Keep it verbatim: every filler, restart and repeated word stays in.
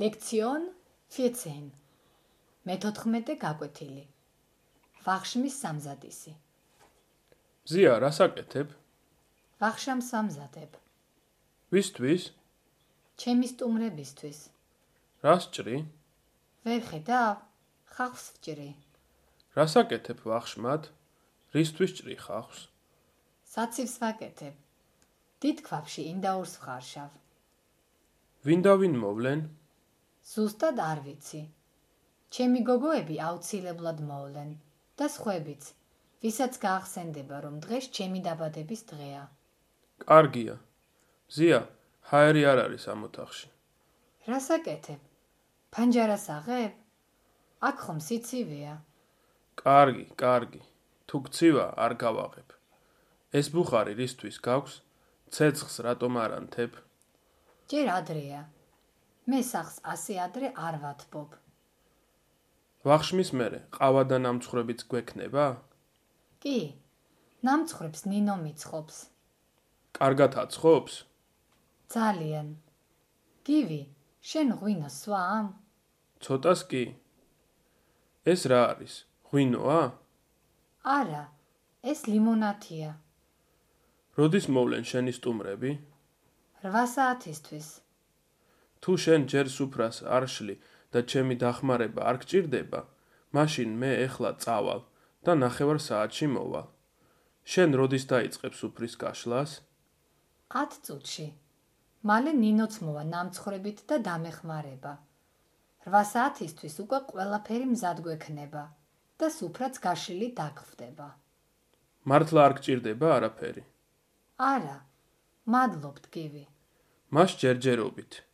ლექციონ vierzehn. მეთოთხმეტე გაკვეთილი. ვახშმის სამზადისი. ზია, რას აკეთებ? ვახშამს სამზადებ. ვისთვის? ჩემი სტუმრებისთვის. რას ჭრი? ვერ ხედავ? ხახვს ვჭრი. რას აკეთებ ვახშმად? რისთვის ჭრი ხახვს? საცივს ვაკეთებ. დიდ ქვაბში ინდაურს ვხარშავ. ვინ და ვინ მოვლენ? ზუსტად არ ვიცი. ჩემი გოგოები აუცილებლად მოვლენ და სხვებიც, ვისაც გაახსენდება, რომ დღეს ჩემი დაბადების დღეა. კარგია. ზია, ჰაერი არ არის ამ ოთახში. რას აკეთებ? ფანჯარას აღებ? აქ ხომ სიცივეა. კარგი, კარგი. თუ გცივა, არ გავაღებ. ეს ბუხარი რისთვის გაქვს? ცეცხლს რატომ არ ანთებ? ჯერ ადრეა. მე სახს ასე ადრე არ ვათბობ. ვახშმის მერე ყავა და ნამცხრებიც გვექნება? კი, ნამცხრებს ნინო მიცხობს. კარგად აცხობს? ძალიან. გივი, შენ ღვინოს სვამ? ცოტას კი. ეს რა არის? ღვინოა? არა, ეს ლიმონათია. როდის მოვლენ შენი სტუმრები? რვა საათისთვის. თუ შენ ჯერ სუფრას არ შლი და ჩემი დახმარება არ გჭირდება, მაშინ მე ეხლა წავალ და ნახევარ საათში მოვალ. შენ როდის დაიწყებ სუფრის გაშლას? ათ წუთში. მალე ნინოც მოვა ნამცხრებით და დამეხმარება. რვა საათისთვის უკვე ყველაფერი მზად გვექნება და სუფრაც გაშლილი დაგხვდება. მართლა არ გჭირდება არაფერი? არა, მადლობთ გივი. მას ჯერჯერობით.